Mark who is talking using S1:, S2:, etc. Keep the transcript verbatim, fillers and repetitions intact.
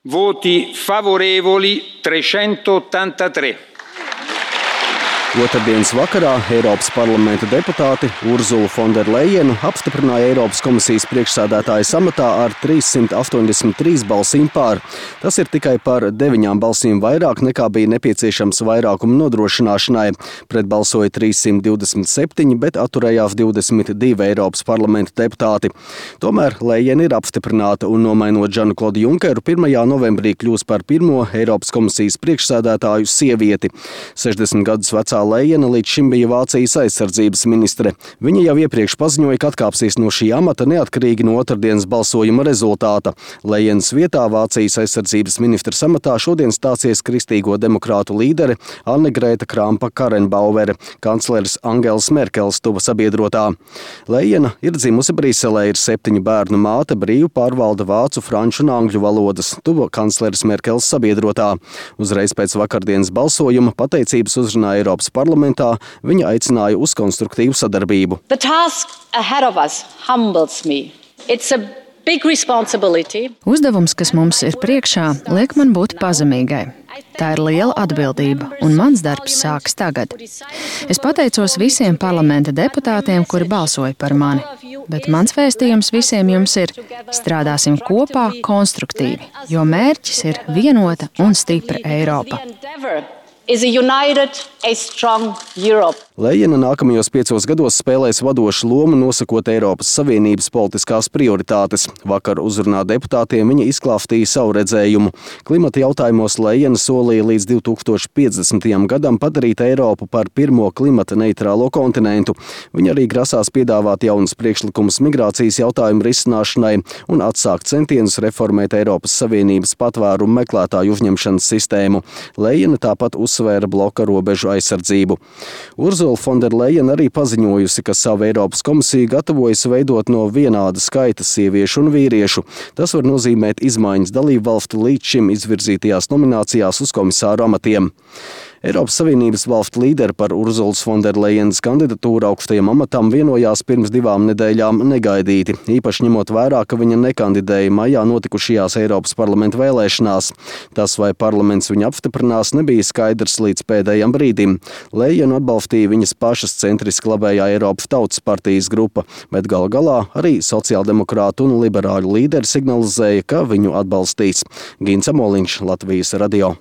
S1: Voti favorevoli trecentottantatré.
S2: Otrdienas vakarā Eiropas parlamenta deputāti Urzulu Fonderlejenu apstiprināja Eiropas komisijas priekšsēdētājas amatā ar trīssimt astoņdesmit trīs balsīm pār. Tas ir tikai par deviņām balsīm vairāk nekā bija nepieciešams vairākuma nodrošināšanai. Pret balsoja trīssimt divdesmit septiņi, bet atturējās divdesmit divi Eiropas parlamenta deputāti. Tomēr Lejena ir apstiprināta un nomainot Žanu-Klodu Junkeru pirmajā novembrī kļūs par pirmo Eiropas komisijas priekšsēdētāju sievieti. sešdesmit gadus vecā Lejena līdz šim bija Vācijas aizsardzības ministre. Viņa jau iepriekš paziņoja, ka atkāpsies no šī amata neatkarīgi no otrdienas balsojuma rezultāta. Lejenas vietā Vācijas aizsardzības ministres amatā šodien stāsies kristīgo demokrātu līdere Anne-Grēta Krampa-Karrenbauere, kancleres Angelas Merkeles tuva sabiedrotā. Lejena ir dzimusi Briselē, ir septiņu bērnu māte, brīvi pārvalda vācu, franču un angļu valodas, tuva kancleres Merkeles sabiedrotā. Uzreiz pēc vakardienas balsojuma pateicības uzrunā Eiropas parlamentā, viņa aicināja uz konstruktīvu sadarbību.
S3: The task ahead of us humbles me. It's a big responsibility.
S4: Uzdevums, kas mums ir priekšā, liek man būt pazemīgai. Tā ir liela atbildība, un mans darbs sākas tagad. Es pateicos visiem parlamenta deputātiem, kuri balsoja par mani, bet mans vēstījums visiem jums ir: strādāsim kopā konstruktīvi, jo mērķis ir vienota un stipra Eiropa.
S3: Is a united, a strong Europe.
S2: Lejena nākamajos piecos gados spēlēs vadošu lomu nosakot Eiropas Savienības politiskās prioritātes. Vakar uzrunā deputātiem viņa izklāstīja savu redzējumu. Klimata jautājumos Lejena solīja līdz divi tūkstoši piecdesmitajam gadam padarīt Eiropu par pirmo klimata neitrālo kontinentu. Viņa arī grasās piedāvāt jaunus priekšlikumus migrācijas jautājumu risināšanai un atsākt centienus reformēt Eiropas Savienības patvērumu meklētāju uzņemšanas sistēmu. Lejena tāpat uzsvēra bloka robežu aizsardzību. Urzula Fonderlejena arī paziņojusi, ka savu Eiropas komisiju gatavojas veidot no vienāda skaita sieviešu un vīriešu. Tas var nozīmēt izmaiņas dalību valstu līdz šim izvirzītajās nominācijās uz komisāru amatiem. Eiropas Savienības valstu līderi par Urzulas Fonderlejenas kandidatūru augstajam amatam vienojās pirms divām nedēļām negaidīti, īpaši ņemot vērā, ka viņa nekandidēja maijā notikušajās Eiropas parlamenta vēlēšanās. Tas, vai parlaments viņu apstiprinās, nebija skaidrs līdz pēdējam brīdim. Lejenu atbalstīja viņas pašas centriski labējā Eiropas Tautas partijas grupa, bet gal galā arī sociāldemokrātu un liberāļu līderi signalizēja, ka viņu atbalstīs. Gins Amoliņš, Latvijas radio.